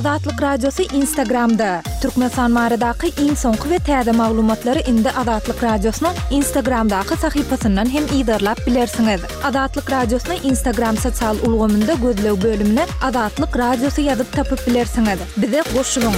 Azatlyk Radiosy Instagramda! Türkmenistan baradaky iň soňky we täze maglumatlary indi Azatlyk Radiosynyň Instagramdaky sahypasyndan hem yzarlap bilersiňiz. Azatlyk Radiosyny Instagram sosial ulgamynda gözleg bölümine Azatlyk Radiosy ýazyp tapyp bilersiňiz. Bize goşulyň!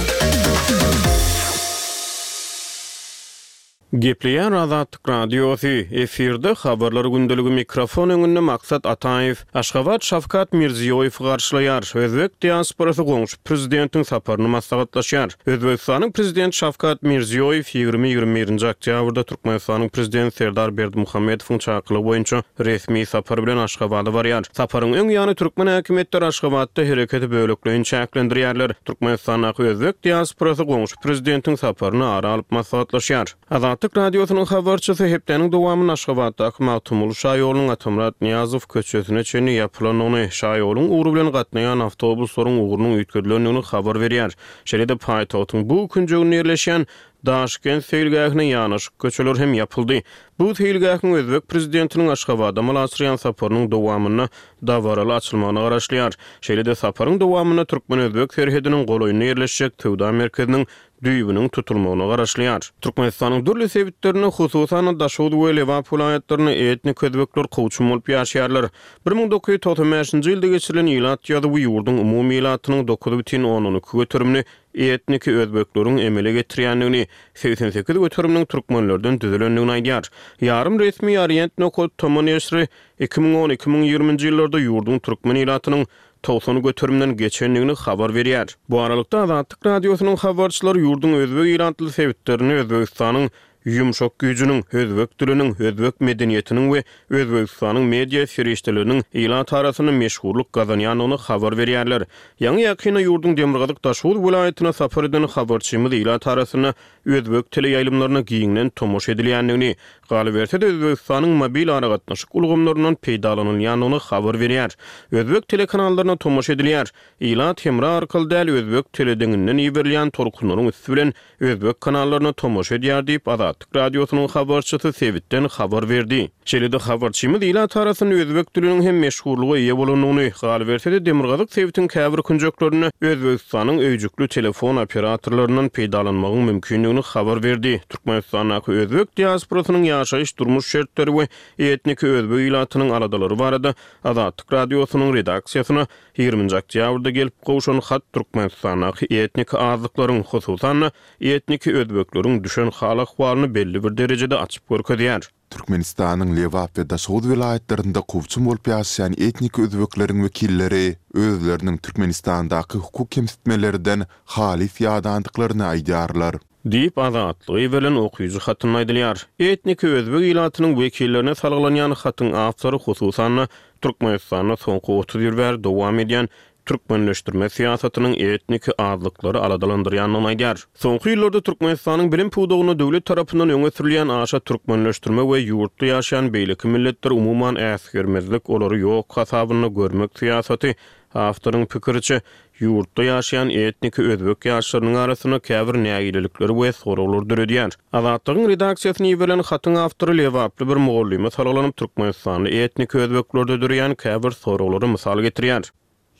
Gepleýär Azatlyk Radiosy, efirde Habarlar gündeligi mikrofon öňünde Maksat Ataýew. Aşgabat Şawkat Mirziýoýewi garşylaýar, özbek diasporasy goňşy prezidentiň saparyny maslahatlaşýar. Özbegistanyň prezidenti Şawkat Mirziýoýew ýigrimi-ýigrimi birinji oktýabrda Türkmenistanyň prezidenti Serdar Berdimuhamedowyň çakylygy boýunça resmi sapar bilen Aşgabada barýar. Saparyň öň ýany türkmen häkimiýetleri Aşgabatda hereketi bölekleýin çäklendirýärler. Türkmenistandaky özbek diasporasy goňşy prezidentiň saparyny ara alyp maslahatlaşýar. Azatlyk Radiosynyň habarçysy hepdäniň dowamynda Aşgabatdaky Magtymguly şaýolunyň Atamyrat Nyýazow köçesine çenli ýapylandygyny, şaýoluň ugry bilen gatnaýan awtobuslaryň ugrunyň üýtgedilendigini habar berýär. Şeýle-de paýtagtyň bu künjeginde ýerleşýän Daşkent seýilgähine ýanaşyk köçeler hem ýapyldy. Bu seýilgähiň özbek prezidentiniň Aşgabada amala aşyrýan saparynyň dowamynda dabaraly açylmagyna garaşylýar. Şeýle-de saparyň dowamynda türkmen-özbek serhediniň golaýynda ýerleşjek söwda merkeziniň düýbüniň tutulmagyna garaşylýar. Türkmenistanyň dürli sebitlerinde, hususan-da, Daşoguz we Lebap welaýatlarynda etnik özbekler kowçum bolup ýaşaýarlar. 1995-nji ýylda geçirilen ilat ýazuwy ýurduň umumy ilatynyň 9,2 göterimini etniki özbekleriň emele getirýändigini, 88 göteriminiň türkmenlerden düzülendigini aýdýar. Ýarym resmi Orient nokat tm neşiri 2010, 2020-nji ýyllarda ýurduň türkmen ilatynyň 90 göterimden geçendigini habar berýär. Bu aralykda, Azatlyk Radiosynyň habarçylary ýurduň özbek ilatly sebitlerinde Özbegistanyň ýumşak güýjüniň, özbek diliniň, özbek medeniýetiniň we Özbegistanyň media serişdeleriniň ilat arasynda meşhurlyk gazanýandygyny habar berýärler. Ýaňy-ýakynda ýurduň demirgazyk Daşoguz welaýatyna sapar eden habarçymyz ilat arasynda özbek teleýaýlymlaryna giňden tomaşa edilýändigini, galyberse-de Özbegistanyň mobil aragatnaşyk ulgamlaryndan peýdalanylýandygyny habar berýär. Özbek telekanallaryna tomaşa edilýär. Ilat hemra arkaly däl, özbek teledeňinden iberilýän tolkunlaryň üsti bilen özbek kanallaryna tomaşa edýär diýip, Azatlyk Radiosynyň habarçysy sebitden habar berdi. Şeýle-de habarçymyz ilat arasynda özbek diliniň hem meşhurlyga eýe bolandygyny, galyberse-de demirgazyk sebitiň käbir künjeklerinde Özbegistanyň öýjükli telefon operatorlaryndan peýdalanmagyň mümkindigini habar berdi. Türkmenistandaky özbek diasporasynyň ýaşaýyş-durmuş şertleri we etniki özbek ilatynyň aladalary barada Azatlyk Radiosynyň redaksiýasyna Ýigriminji oktýabrda gelip gowşan hat Türkmenistandaky etniki azlyklaryň, hususan-da, etniki özbekleriň düşen hal-ahwalyny belli bir derejede açyp görkezýär. Türkmenistanyň Lebap we Daşoguz welaýatlarynda kowçum bolup ýaşaýan etniki özbekleriň wekilleri özleriniň Türkmenistandaky hukuk kemsitmelerden halys ýadandyklaryny aýdýarlar. Diýip, Azatlyga iberilen okyjy hatynda aýdylýar. Etniki özbek ilatynyň wekillerine salgylanýan hatyň awtory, hususan-da, Türkmenistanda soňky 30 ýyl bäri dowam edýän türkmenleşdirme syýasatynyň etniki azlyklary aladalandyrýandygyny aýdýar. Soňky ýyllarda Türkmenistanyň bilim pudagynda döwlet tarapyndan öňe sürülýän aşa türkmenleşdirme we ýurtda ýaşaýan beýleki milletleri umuman äsgermezlik, olary ýok hasabynda görmek syýasaty, awtoryň pikiriçe, Ýurtda ýaşaýan etniki özbek ýaşlarynyň arasynda käbir nägilelikleri we soraglary döredýär. Azatlygyň redaksiýasyna iberilen hatyň awtory lebaply bir mugallyma salgylanyp, türkmenistanly etniki özbeklerde döreýän käbir soraglary mysal getirýär.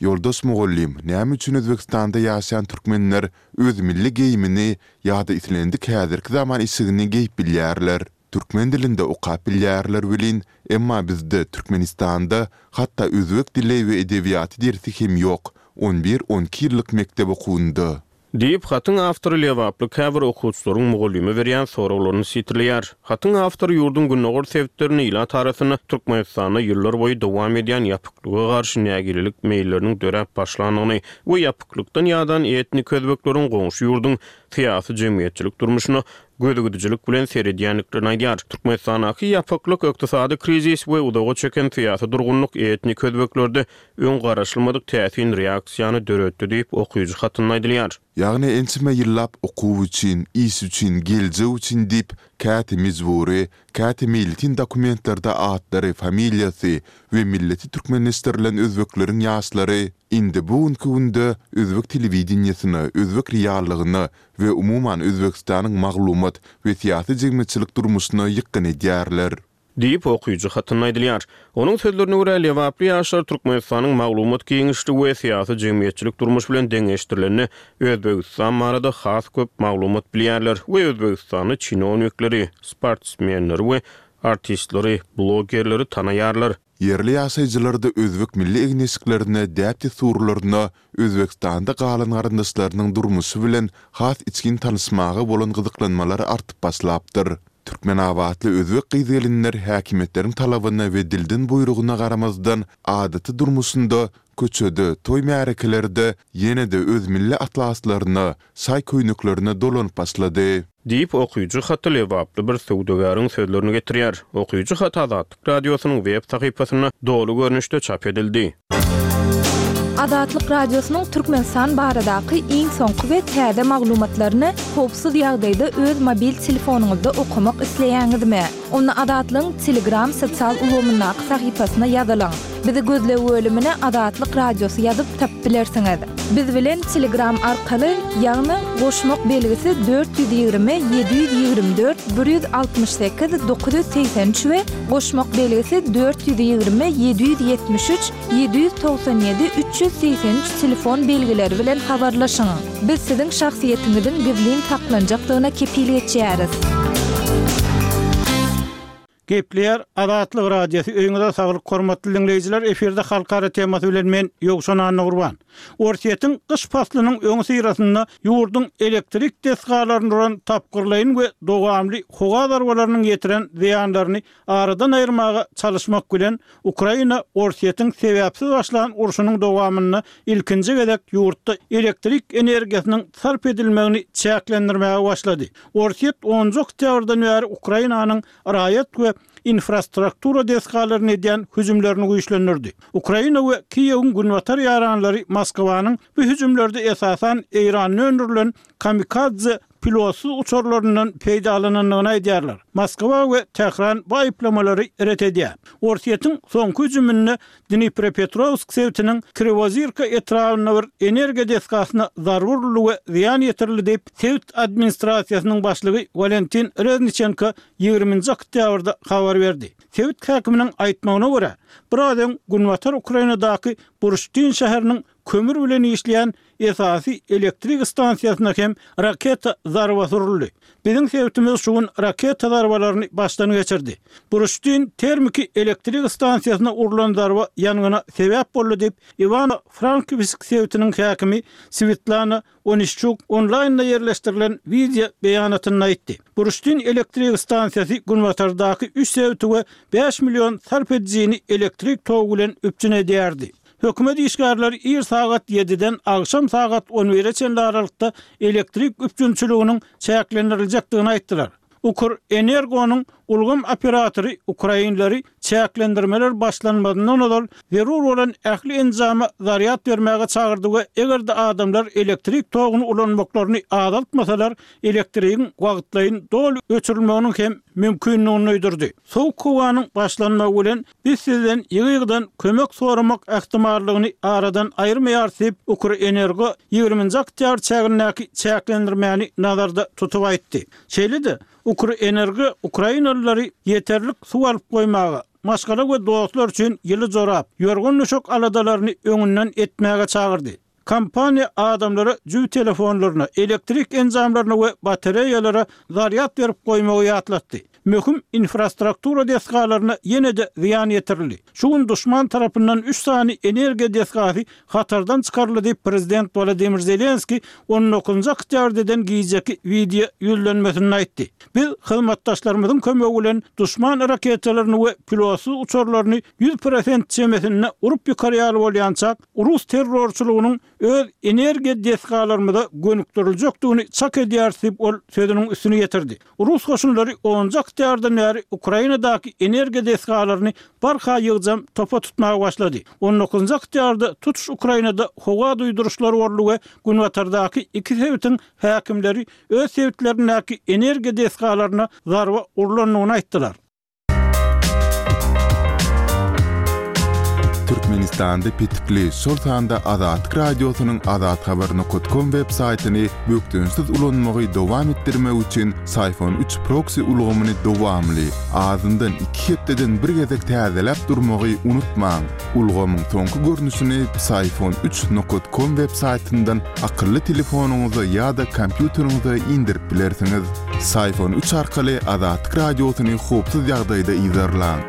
Ýoldaş mugallym, näme üçin Özbegistanda ýaşaýan türkmenler öz milli geýimini ýa-da islendik häzirki zaman eşigini geýip bilýärler? Türkmen dilinde okap bilýärler welin, emma bizde Türkmenistanda hatda özbek dili we edebiýaty dersi hem ýok, on bir, on iki ýyllyk mekdep okuwynda. Diýip, hatyň awtory lebaply käbir okuwçylaryň mugallyma berýän soraglaryny sitirleýär. Hatyň awtory ýurduň gündogar sebitlerinde ilat arasynda Türkmenistanda ýyllar boýy dowam edýän ýapyklyga garşy nägilelik meýilleriniň döräp başlandygyny we ýapyklykdan ýadan etnik özbekleriň goňşy ýurduň syýasy-jemgyýetçilik durmuşyna gözügidijilik bilen seredýändiklerini aýdýar. Türkmenistandaky ýapyklyk, ykdysady krizis we uzaga çeken syýasy durgunlyk etnik özbeklerde öň garaşylmadyk täsin reaksiýany döretdi diýip, okyjy hatynda aýdylýar. Ýagny ençeme ýyllap okuw üçin, iş üçin, geljek üçin diýip, käte mejbury, käte meýletin dokumentlerde atlary, familiýasy we milleti türkmenleşdirilen özbekleriň ýaşlary indi bu günki günde özbek telewideniýesine, özbek reallygyna we umuman Özbegistanyň maglumat we syýasy-jemgyýetçilik durmuşyna ýykgyn edýärler. Diýip, okyjy hatynda aýdylýar. Onuň sözlerine görä, lebaply ýaşlar Türkmenistanyň maglumat giňişligi we syýasy-jemgyýetçilik durmuşy bilen deňeşdirilende Özbegistan barada has köp maglumat bilýärler we özbegistanly çinownikleri, sportsmenleri we artistleri, blogerleri tanaýarlar. Ýerli ýaşaýjylarda özbek milli egin-eşiklerine, däp-dessurlaryna, Özbegistanda galan garyndaşlarynyň durmuşy bilen has içgin tanyşmaga bolan gyzyklanmalar artyp başlapdyr. Türkmenabatly özbek gyz-gelinler häkimiýetleriň talabyna we dilden buýrugyna garamazdan, adaty durmuşynda, köçede, toý-märekelerde ýene-de öz milli atlaslaryna, şaý köýneklerine dolanyp başlady. Diýip, okyjy haty lebaply bir söwdagäriň sözlerini getirýär. Okyjy haty Azatlyk Radiosynyň web sahypasynda doly görnüşde çap edildi. Azatlyk Radiosynyň Türkmenistan baradaky iň soňky we täze maglumatlaryny howpsuz ýagdaýda öz mobil telefonyňyzda okamak isleýäňizmi? Onda Azatlygyň Telegram sosial ulgamyndaky sahypasyna ýazylyň. Bizi gözleg bölümine Azatlyk Radiosy ýazyp tapyp bilersiňiz. Biz bilen Telegram arkaly, ýagny goşmak belgisi 420 724 168 983 we goşmak belgisi 420 773 797 383 telefon belgileri bilen habarlaşyň. Biz siziň şahsyýetiňiziň gizlin saklanjakdygyna kepil geçýäris. Gepleýär Azatlyk Radiosy Öýüňize saglyk hormatly diňleýjiler efirde halkara temasy bilen men Ýowşan Annagurban. Orsýetiň gyş paslynyň öňüsyrasynda ýurduň elektrik desgalaryny uran tapgyrlaýyn we dowamly howa zarbalarynyň ýetiren zyýanlaryny aradan aýyrmaga çalyşmak bilen, Ukraina Orsýetiň sebäpsiz başlan urşunyň dowamynda ilkinji gezek ýurtda elektrik energiýasynyň sarp edilmegini çäklendirmäge başlady. Orsýet onunjy oktýabrdan bäri Ukrainanyň raýat we infrastruktura desgalaryna edýän hüjümlerini güýçlendirdi. Ukraina we Kiýewiň günbatar ýaranlary Moskwanyň bu hüjümlerde esasan Eýranda öndürilen kamikadze pilotsyz uçarlaryndan peýdalanandygyny aýdýarlar. Moskwa we Tähran bu aýyplamalary ret edýär. Orsýetiň soňky hüjüminde Dniprepetrowsk sebitiniň Kriwozirka etrabynda bir energiýa desgasyna zarba uruldy we zyýan ýetirildi diýip, sebit administrasiýasynyň başlygy Walentin Rezniçenko ýigriminji oktýabrda habar berdi. Sebit häkiminiň aýtmagyna görä, biraz öň günbatar Ukrainadaky Burştyn şäheriniň kömür bilen işleýän esasy elektrik stansiýasyna hem raketa zarbasy uruldy. Biziň sebitimiz şu gün raketa zarbalaryny başdan geçirdi. Buruştyn termiki elektrik stansiýasyna urlan zarba ýangyna sebäp boldy diýip, Iwano-Frankowsk sebitiniň häkimi Swetlana Onişçuk onlaýnda ýerleşdirilen wideo beýanatynda aýtdy. Buruştyn elektrik stansiýasy günbatardaky üç sebiti we bäş million sarp edijini elektrik togy bilen üpjün edýärdi. Hökümet işgärleri ir sagat ýediden agşam sagat on bire çenli aralykda elektrik üpjünçiliginiň çäklendiriljekdigini aýtdylar. Ukrenergonyň ulgam operatory ukrainleri çäklendirmeler başlanmazyndan ozal zerur bolan ähli enjama zarýad bermäge çagyrdy we eger-de adamlar elektrik toguny ulanmaklaryny azaltmasalar, elektrigiň wagtlaýyn doly öçürilmeginiň hem mümkindigini duýdurdy. Sowuk howanyň başlanmagy bilen Biz sizden ýygy-ýygydan kömek soramak ähtimallygyny aradan aýyrmaýarys diýip, Ukrenergo ýigriminji oktýabr çägindäki çäklendirmäni nazarda tutup aýtdy. Şeýle-de, Ukrenergo ukrainalylary ýeterlik suw alyp goýmaga, maşgala we dostlar üçin ýyly jorap, ýorgan-düşek aladalaryny öňünden etmäge çagyrdy. Kompaniýa adamlara jübi telefonlaryna, elektrik enjamlaryna we batareýalara zarýad berip goýmagy ýatlatdy. Möhüm infrastruktura desgalaryna ýene-de zyýan ýetirildi. Şu gün duşman tarapyndan üç sany energiýa desgasy hatardan çykaryldy diýip, prezident Wolodymyr Zelenskiý on dokuzynjy oktýabrda eden gijeki wideo ýüzlenmesinde aýtdy. Biz hyzmatdaşlarymyzyň kömegi bilen duşman raketalaryny we pilotsyz uçarlaryny 100% çemesinde urup ýykar ýaly bolýançak, rus terrorçylygynyň öz energiýa desgalarymyza gönükdiriljekdigini çak edýäris diýip, ol sözüniň üstüni ýetirdi. Rus goşunlary onunjy oktýabrdan bäri Ukrainadaky energiýa desgalaryny barha ýygjam topa tutmaga başlady. On dokuzynjy oktýabrda tutuş Ukrainada howa duýduryşlary boldy we günbatardaky iki sebitiň häkimleri öz sebitlerindäki energiýa desgalaryna zarba urlandygyny aýtdylar. Türkmenistanda petikli, şol sanda Azatlyk Radiosynyň azathabar nokat kom web saýtyny bökdençsiz ulanmagy dowam etdirmek üçin Syfon üç proksi ulgamyny dowamly, azyndan iki hepdeden bir gezek täzeläp durmagy unutmaň. Ulgamyň soňky görnüşini Psiphon üç nokat kom web saýtyndan akylly telefonyňyza ýa-da kompýuteriňize indirip bilersiňiz. Psiphon üç arkaly Azatlyk Radiosyny howpsuz ýagdaýda yzarlaň.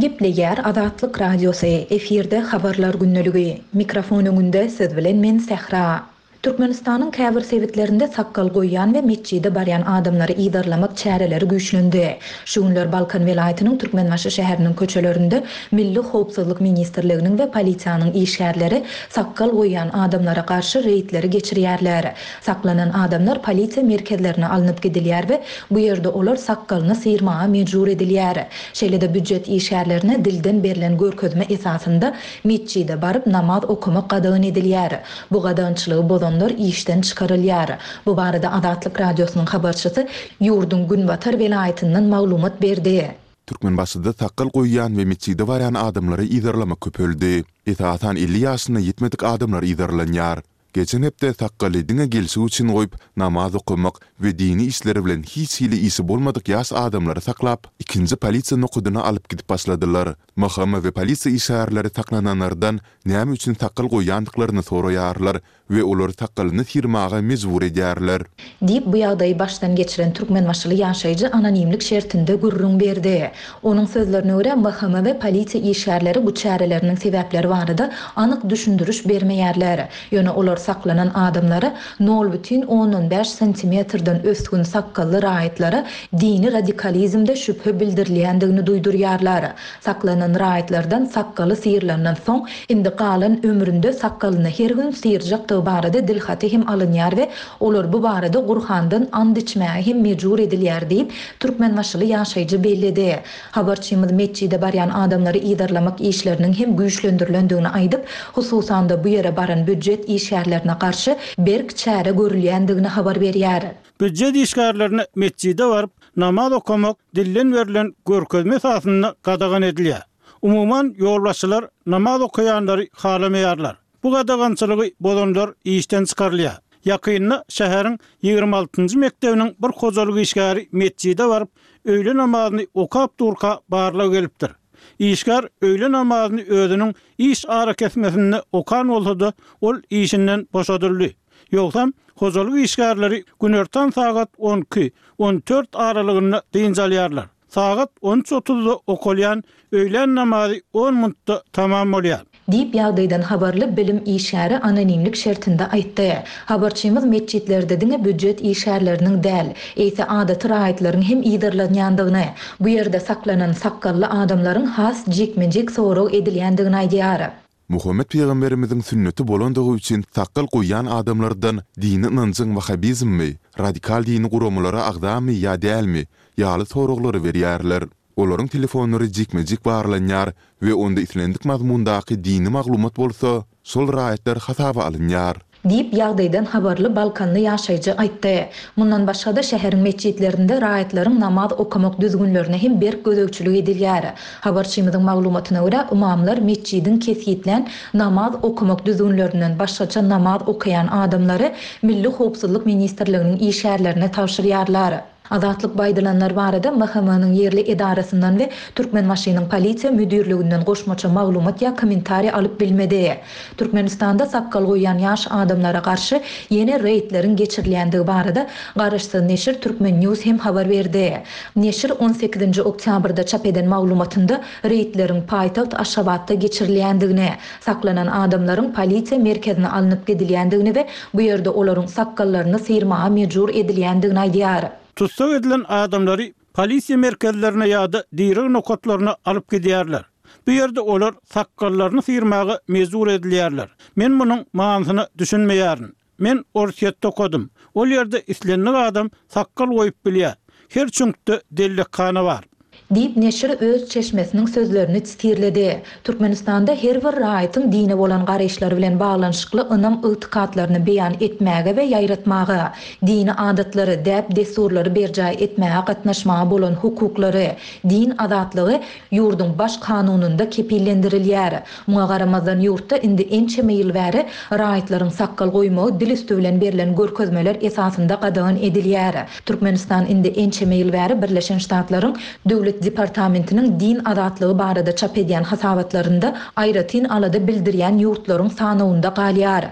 Gepleýär Azatlyk Radiosy, efirde Habarlar gündeligi. Mikrofon öňünde siz bilen men Sähra. Türkmenistanyň käbir sebitlerinde sakgal goýýan we metjide barýan adamlary yzarlamak çäreleri güýçlendi. Şu günler Balkan welaýatynyň Türkmenbaşy şäheriniň köçelerinde Milli howpsuzlyk ministrliginiň we polisiýanyň işgärleri sakgal goýýan adamlara garşy reýdleri geçirýärler. Saklanan adamlar polisiýa merkezlerine alnyp gidilýär we bu ýerde olar sakgalyny syrmaga mejbur edilýär. Şeýle-de býujet işgärlerine dilden berlen görkezme esasynda metjide baryp namaz okamak gadagan edilýär. Bu gadagançylygy bozanlar işden çykarylýar. Bu barada Azatlyk Radiosynyň habarçysy ýurduň günbatar welaýatyndan maglumat berdi. Türkmenbaşyda sakgal goýýan we metjide barýan adamlary yzarlamak köpeldi. Esasan 50 ýaşyna ýetmedik adamlar yzarlanýar. Geçen hepde sakgaly diňe gelşik üçin goýup, namaz okamak we dini işler bilen hiç hili işi bolmadyk ýaş adamlary saklap, ikinji polisiýa nokadyna alyp gidip başladylar. MHM we polisiýa işgärleri saklananlardan näme üçin sakgal goýýandyklaryny soraýarlar we olary sakgalyny syrmaga mejbur edýärler. Diýip, bu ýagdaýy başdan geçiren türkmenbaşyly ýaşaýjy anonimlik şertinde gürrüň berdi. Onuň sözlerine görä, MHM we polisiýa işgärleri bu çäreleriniň sebäpleri barada anyk düşündiriş bermeýärler. Ýöne olar saklanan adamlara nol bütin ondan bäş santimetrden ösgün sakgally raýatlara dini radikalizmde şübhe bildirilýändigini duýdurýarlar. Saklanan raýatlardan sakgaly syrylandan soň, indi galan ömründe sakgalyny her gün syrjakdygy barada dilhaty hem alynýar we olar bu barada Gurhandan and içmäge hem mejbur edilýär diýip, türkmenbaşyly ýaşaýjy belledi. Habarçymyz metjide barýan adamlary yzarlamak işleriniň hem güýçlendirilendigini aýdyp, hususan-da bu ýere baran býujet işgärlerine garşy berk çäre görülýändigini habar berýär. Býujet işgärlerine metjide baryp, namaz okamak dilden berlen görkezme esasynda gadagan edilýär. Umuman, ýolbaşçylar namaz okaýanlary halamaýarlar. Bu gadagançylygy bozanlar işden çykarylýar. Ýakynda şäheriň 26-njy mekdebiniň bir hojalyk işgäri metjide baryp, öýle namazyny okap durka barlag gelipdir. Işgär öýle namazyny özüniň iş arakesmesinde okan bolsa-da, ol işinden boşadyldy. Ýogsam, hojalyk işgärleri günortan sagat on iki, on dört aralygynda dynç alýarlar. Sagat on üç otuzda okalýan öýlän namazy on minutda tamam bolýar. Diýip, ýagdaýdan habarly bilim işgäri anonimlik şertinde aýtdy. Habarçymyz metjitlerde diňe býujet işgärleriniň däl, eýse adaty raýatlaryň hem yzarlanýandygyny, bu ýerde saklanan sakgally adamlaryň has jikme-jik sorag edilýändigini aýdýar. Muhammet pygamberimiziň sünneti bolandygy üçin sakgal goýýan adamlardan dini ynanjyň wahabizmmi, radikal dini guramalara agzamy ýa dälmi ýaly soraglary berýärler. Olaryň telefonlary jikme-jik barlanýar we onda islendik mazmundaky dini maglumat bolsa, şol raýatlar hasaba alynýar. Diýip, ýagdaýdan habarly balkanly ýaşaýjy aýtdy. Mundan başga-da, şäheriň metjitlerinde raýatlaryň namaz okamak düzgünlerine hem berk gözegçilik edilýär. Habarçymyzyň maglumatyna görä, ymamlar metjidiň kesgitlän namaz okamak düzgünlerinden başgaça namaz okaýan adamlary Milli howpsuzlyk ministrliginiň işgärlerine tabşyrýarlar. Azatlyk bu aýdylanlar barada MHM-niň ýerli edarasyndan we Türkmenbaşynyň Polisiýa müdirliginden goşmaça maglumat ýa kommentariý alyp bilmedi. Türkmenistanda sakgal goýýan ýaş adamlara garşy ýene reýdleriň geçirilýändigi barada garaşsyz neşir Turkmen News hem habar berdi. Neşir on sekizinji oktýabrda çap eden maglumatynda reýdleriň paýtagt Aşgabatda geçirilýändigini, Saklanan adamlaryň polisiýa merkezine alnyp gidilýändigini we bu ýerde olaryň sakgallaryny syrmaga mejbur edilýändigini aýdýar. Tussag edilen adamlary polisiýa merkezlerine ýa-da direg nokatlaryna alyp gidýärler. Bu ýerde olar sakgallaryny syrmaga mejbur edilýärler. Men munuň manysyna düşünmeýärin. Men Orsýetde okadym. Ol ýerde islendik adam sakgal goýup bilýär. Her çüňkde dellekhana bar. Diýip, neşir öz çeşmesiniň sözlerini sitirledi. Türkmenistanda her bir raýatyň dine bolan garaýyşlary bilen baglanyşykly ynam-ygtykatlaryny beýan etmäge we ýaýratmaga, dini adatlary, däp-dessurlary berjaý etmäge gatnaşmaga bolan hukuklary, din azatlygy ýurduň Baş Kanunynda kepillendirilýär. Muňa garamazdan, ýurtda indi ençeme ýyl bäri raýatlaryň sakgal goýmagy dil üsti bilen berlen görkezmeler esasynda gadagan edilýär. Türkmenistan indi ençeme ýyl bäri Birleşen Ştatlaryň Döwlet departamentiniň din azatlygy barada çap edýän hasabatlarynda aýratyn alada bildirýän ýurtlaryň sanawynda galýar.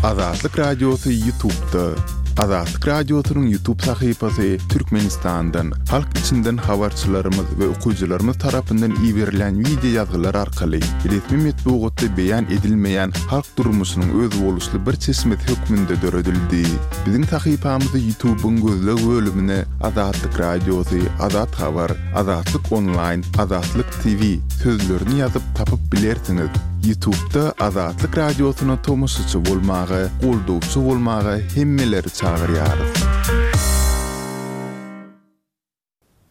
Azatlyk Radiosy Ýutubda. Azatlyk Radiosynyň Ýutub sahypasy Türkmenistandan, halk içinden habarçylarymyz we okyjylarymyz tarapyndan iberilýän wideo ýazgylar arkaly resmi metbugatda beýan edilmeýän halk durmuşynyň özboluşly bir çeşmesi hökmünde döredildi. Biziň sahypamyzy Ýutubyň gözleg bölümine Azatlyk Radiosy, Azat Habar, Azatlyk Onlaýn, Azatlyk TV sözlerini ýazyp tapyp bilersiňiz. Ýutubda Azatlyk Radiosyna tomaşaçy bolmaga, goldawçy bolmaga hemmeleri çagyrýarys.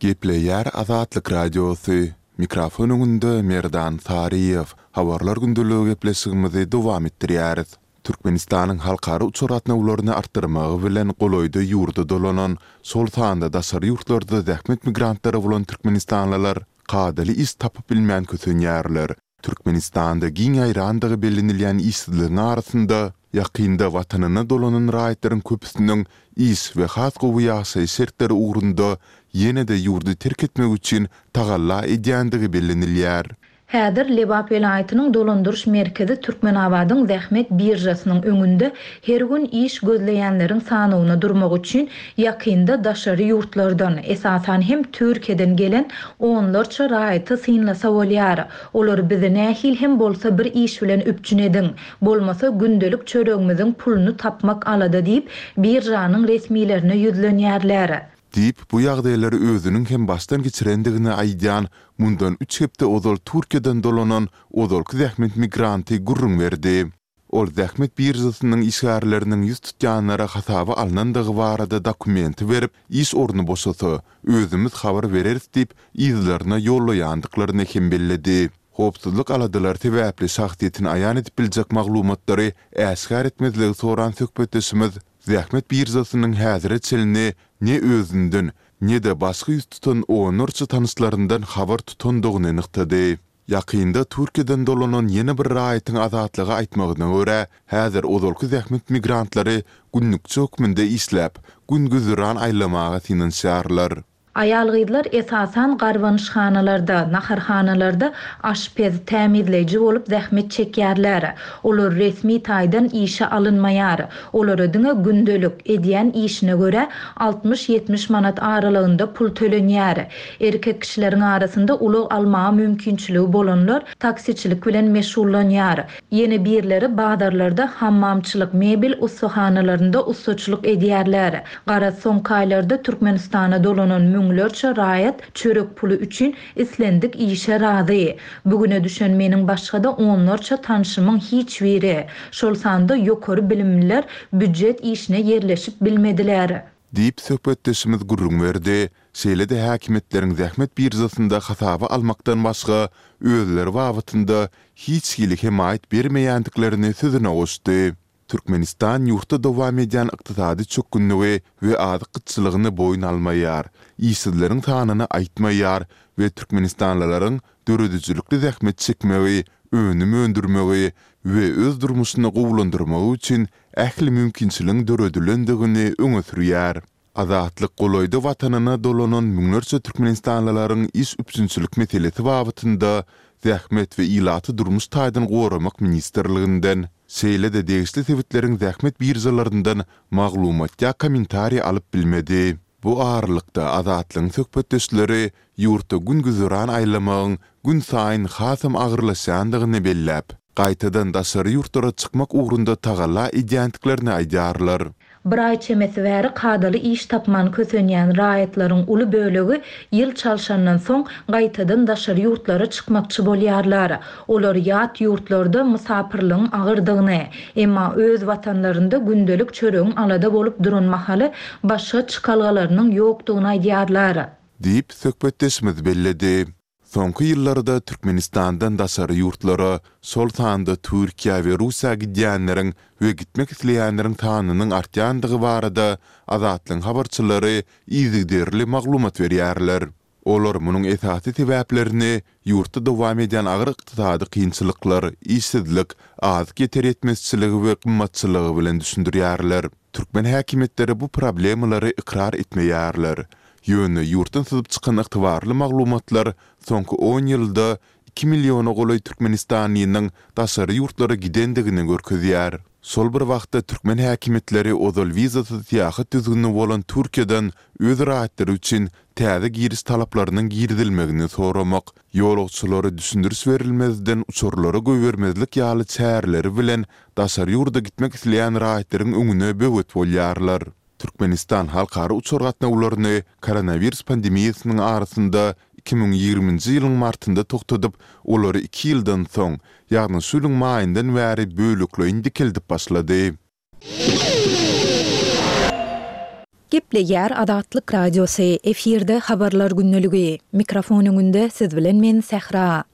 Gepleýär Azatlyk Radiosy, Mikrofon öňünde Merdan Saryýew. Habarlar gündeligi gepleşigimizi dowam etdirýäris. Türkmenistanyň halkara uçar gatnawlaryny artdyrmagy bilen golaýda ýurda dolanan, şol sanda daşary ýurtlarda zähmet migrantlary bolan türkmenistanlylar kadaly iş tapyp bilmän kösenýärler. Türkmenistanda giň ýaýrandygy bellenilýän işsizligiň arasynda, ýakynda watanyna dolanan raýatlaryň köpüsiniň iş we has gowy ýaşaýyş şertleri ugrunda ýene-de ýurdy terk etmek üçin tagalla edýändigi bellenilýär. Häzir Lebap welaýatynyň dolandyryş merkezi Türkmenabadyň zähmet biržasynyň öňünde her gün iş gözleýänleriň sanawyna durmak üçin ýakynda daşary ýurtlardan, esasan hem Türkiýeden gelen onlarça raýaty synlasa bolýar. Olar bizi nähili hem bolsa bir iş bilen üpjün ediň, bolmasa gündelik çöregimiziň puluny tapmak alada diýip, biržanyň resmilerine ýüzlenýärler. Diýip, bu ýagdaýlary özüniň hem başdan geçirendigini aýdýan, mundan üç hepde ozal Türkiýeden dolanan ozalky zähmet migranty gürrüň berdi. Ol zähmet biržasynyň işgärleriniň ýüz tutýanlara hasaba alnandygy barada dokumenti berip, iş orny boşasa, özümiz habar bereris diýip, yzlaryna ýollaýandyklaryny hem belledi. Howpsuzlyk aladalary sebäpli şahsyýetini aýan edip biljek maglumatlary äşgär etmezligi soran söhbetdeşimiz zähmet biržasynyň häzire çenli ne özünden, ne-de başga ýüz tutan onlarça tanyşlaryndan habar tutandygyny nygtady. Ýakynda Türkiýeden dolanan ýene bir raýatyň Azatlyga aýtmagyna görä, häzir ozalky zähmet migrantlary günlükçi hökmünde işläp, gün-güzeran aýlamaga synanyşýarlar. Aýal-gyzlar esasan garbanyşhanalarda, naharhanalarda aşpez, tämizleýji bolup zähmet çekýärler. Olar resmi taýdan işe alynmaýar. Olara diňe gündelik, edýän işine görä, altmyş-ýetmiş manat aralygynda pul tölenýär. Erkek kişileriň arasynda ulag almaga mümkinçiligi bolanlar taksiçilik bilen meşgullanýar. Ýene birleri bazarlarda hammamçylyk, mebel ussahanalarynda ussaçylyk edýärler. Garaz, soňky aýlarda Türkmenistana dolanan müňlerçe raýat çörek puly üçin islendik işe razy. Bu güne düşen meniň başga-da onlarça tanşymyň hiç biri, şol sanda ýokary bilimliler býujet işine ýerleşip bilmediler. Diýip, söhbetdeşimiz gürrüň berdi. Şeýle-de häkimiýetleriň zähmet biržasynda hasaba almakdan başga özleri babatynda hiç hili hemaýat bermeýändiklerini sözüne goşdy. Türkmenistan ýurtda dowam edýän ykdysady çökgünligi we azyk gytçylygyny boýun almaýar, işsizleriň sanyny aýtmaýar we türkmenistanlylaryň döredijilikli zähmet çekmegi, önüm öndürmegi we öz durmuşyny gowulandyrmagy üçin ähli mümkinçiligiň döredilendigini öňe sürýär. Azatlyk golaýda watanyna dolanan müňlerçe türkmenistanlylaryň iş üpjünçilik meselesi babatynda Zähmet we ilaty durmuş taýdan goramak ministrliginden, şeýle-de degişli sebitleriň zähmet biržalaryndan maglumat ýa kommentariý alyp bilmedi. Bu aralykda, Azatlygyň söhbetdeşleri ýurtda gün-güzeran aýlamagyň günsaýyn hasam agyrlaşýandygyny belläp, gaýtadan daşary ýurtlara çykmak ugrunda tagalla edýändiklerini aýdýarlar. Bir aý çemesi bäri kadaly iş tapman kösenýän raýatlaryň uly bölegi ýyl çalşandan soň gaýtadan daşary ýurtlara çykmakçy bolýarlar. Olar ýat ýurtlarda mysapyrlygyň agyrdygyny, emma öz watanlarynda gündelik çöregiň alada bolup duran mahaly başga çykalgalarynyň ýokdugyny aýdýarlar. Diýip, söhbetdeşimiz belledi. Soňky ýyllarda Türkmenistandan daşary ýurtlara, şol sanda Türkiýä we Russiýa gidýänleriň we gitmek isleýänleriň sanynyň artýandygy barada Azatlygyň habarçylary yzygiderli maglumat berýärler. Olar munuň esasy sebäplerini ýurtda dowam edýän agyr ykdysady kynçylyklar, işsizlik, azyk ýeter-ýetmezçiligi we gymmatçylygy bilen düşündirýärler. Türkmen häkimiýetleri bu problemalary ykrar etmeýärler. Ýöne ýurtdan syzyp çykan ygtybarly maglumatlar soňky on ýylda iki milliona golaý türkmenistanlynyň daşary ýurtlara gidendigini görkezýär. Şol bir wagtda türkmen häkimiýetleri ozal wizasyz syýahat düzgüni bolan Türkiýeden öz raýatlary üçin täze giriş talaplarynyň girizilmegini soramak, ýolagçylara düşündiriş berilmezden uçarlara goýbermezlik ýaly çäreleri bilen daşary ýurda gitmek isleýän raýatlaryň öňüne böwet bolýarlar. Türkmenistan halkara uçar gatnawlaryny koronawirus pandemiýasynyň arasynda 2020-nji ýylyň martynda togtadyp, olary iki ýyldan soň, ýagny şu ýylyň maýyndan bäri bölekleýin dikeldip başlady. Gepleýär Azatlyk Radiosy, efirde Habarlar gündeligi. Mikrofon öňünde siz bilen men Sähra.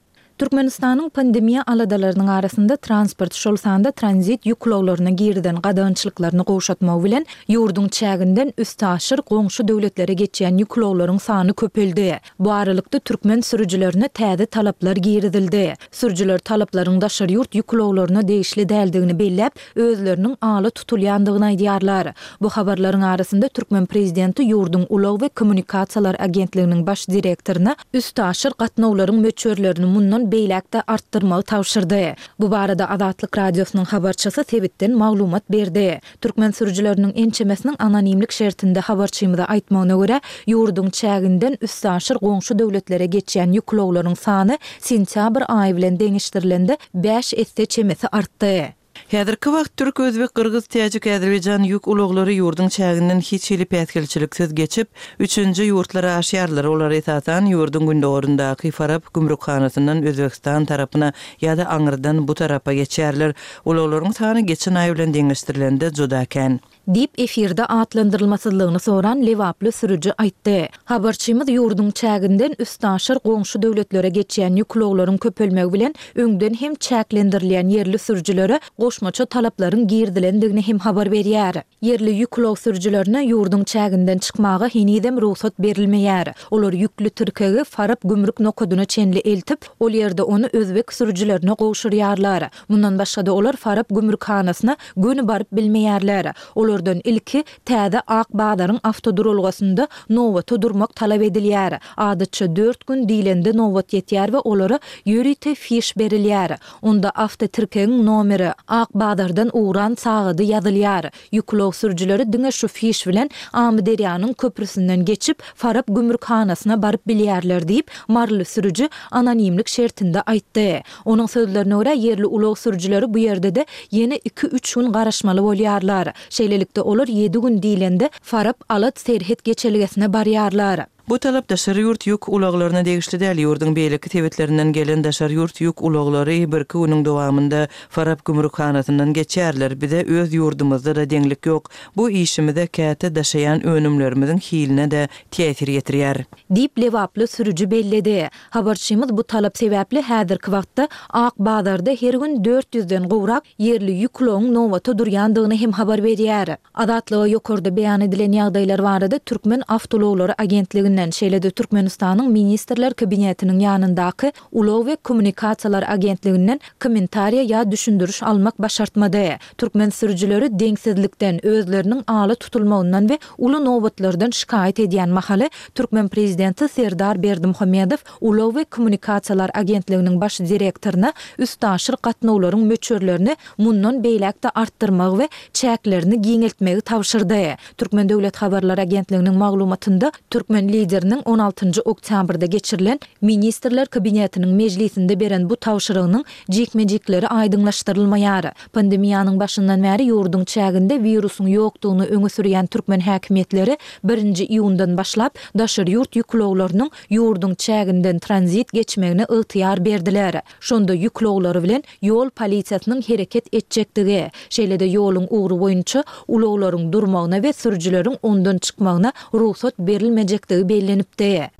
Türkmenistanyň pandemiýa aladalarynyň arasynda transport, şol sanda tranzit ýük ulaglaryna girizen gadagançylyklaryny gowşatmagy bilen, ýurduň çäginden üstaşyr goňşy döwletlere geçýän ýük ulaglaryň sany köpeldi. Bu aralykda, türkmen sürüjilerine täze talaplar girizildi. Sürüjiler talaplaryň daşary ýurt ýük ulaglaryna degişli däldigini belläp, özleriniň ala tutulýandygyny aýdýarlar. Bu habarlaryň arasynda türkmen prezidenti ýurduň Ulag we kommunikasiýalar agentliginiň baş direktoryna üstaşyr gatnawlaryň möçberlerini mundan beýläk-de artdyrmagy tabşyrdy. Bu barada Azatlyk Radiosynyň habarçysy sebitden maglumat berdi. Türkmen sürüjileriniň ençemesiniň anonimlik şertinde habarçymyza aýtmagyna görä, ýurduň çäginden üstaşyr goňşy döwletlere geçýän ýük ulaglaryň sany sentýabr aýy bilen deňeşdirilende bäş esse çemesi artdy. Häzirki wagt türk, özbek, gyrgyz, täjik, azerbaýjan ýük ulaglary ýurduň çäginden hiç hili päsgelçiliksiz geçip, üçünji ýurtlara aşýarlar. Olar, esasan, ýurduň gündogaryndaky Farap gümrükhanasyndan Özbegistan tarapyna ýa-da aňyrdan bu tarapa geçýärler. Ulaglaryň sany geçen aý bilen deňeşdirilende juda kän. Diýip, efirde atlandyrylmasyzlygyny soran lebaply sürüji aýtdy. Habarçymyz ýurduň çäginden üstaşyr goňşy döwletlere geçýän ýük ulaglaryň köpelmegi bilen öňden hem çäklendirilýän ýerli sürüjilere goşmaça talaplaryň girizilendigini hem habar berýär. Ýerli ýük ulag sürüjilerine ýurduň çäginden çykmaga henizem rugsat berilmeýär. Olar ýükli tirkegi Farap gümrük nokadyna çenli eltip, ol ýerde ony özbek sürüjilerine gowşurýarlar. Mundan başga-da olar Farap gümrükhanasyna göni baryp bilmeýärler. Olardan ilki täze Ak bazaryň awtoduralgasynda nobata durmak talap edilýär. Adatça dört gün diýlende nobat ýetýär we olara ýörite fiş berilýär. Onda awtotirkegiň nomeri, Ak bazardan ugran sagady ýazylýar. Ýük ulag sürüjileri diňe şu fiş bilen Amyderýanyň köprüsinden geçip, Farap gümrükhanasyna baryp bilýärler diýip, maryly sürüji anonimlik şertinde aýtdy. Onuň sözlerine görä, ýerli ulag sürüjileri bu ýerde-de ýene iki-üç gün garaşmaly bolýarlar. Şeýlelikde, olar ýedi gün diýlende, Farap-Alat serhet geçelgesine barýarlar. Bu talap daşary ýurt ýük ulaglaryna degişli däl. Ýurduň beýleki sebitlerinden gelen daşary ýurt ýük ulaglary birki günüň dowamynda Farap gümrükhanasyndan geçýärler. Bize öz ýurdumyzda-da deňlik ýok. Bu işimize käte daşaýan önümlerimiziň hiline-de täsir ýetirýär. Diýip, lebaply sürüji belledi. Habarçymyz bu talap sebäpli häzirki wagtda Ak bazarda her gün dört ýüzden gowrak ýerli ýük ulagyň nobata durýandygyny hem habar berýär. Azatlyga ýokarda beýan edilen ýagdaýlar barada Türkmen awtoulaglary agentliginden, şeýle-de Türkmenistanyň Ministrler Kabinetiniň ýanyndaky Ulag we kommunikasiýalar agentliginden kommentariýa ýa düşündiriş almak başartmady. Türkmen sürüjileri deňsizlikden, özleriniň ala tutulmagyndan we uly nobatlardan şikaýat edýän mahaly, türkmen prezidenti Serdar Berdimuhamedow Ulag we kommunikasiýalar agentliginiň baş direktoryna üstaşyr gatnawlaryň möçberlerini mundan beýläk-de artdyrmagy we çäklerini giňeltmegi tabşyrdy. Türkmen döwlet habarlar agentliginiň maglumatynda türkmen Lideri. Lideriniň on altynjy oktýabrda geçirilen Ministrler Kabinetiniň mejlisinde beren bu tabşyrygynyň jikme-jikleri aýdyňlaşdyrylmaýar. Pandemiýanyň başyndan bäri ýurduň çäginde wirusyň ýokdugyny öňe sürýän türkmen häkimiýetleri birinji iýundan başlap daşary ýurt ýük ulaglarynyň ýurduň çäginden tranzit geçmegine ygtyýar berdiler. Şonda ýük ulaglary bilen ýol polisiýasynyň hereket etjekdigi, şeýle-de ýoluň ugry boýunça ulaglaryň durmagyna we sürüjileriň ondan çykmagyna rugsat berilmejekdigi bellenipdi.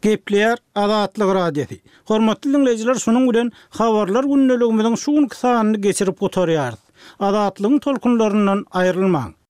Gepleýär Azatlyk Radiosy. Hormatly diňleýjiler şunuň bilen Habarlar gündeligimiziň şu günki sanyny geçirip gutarýarys. Azatlygyň tolkunlaryndan aýrylmaň.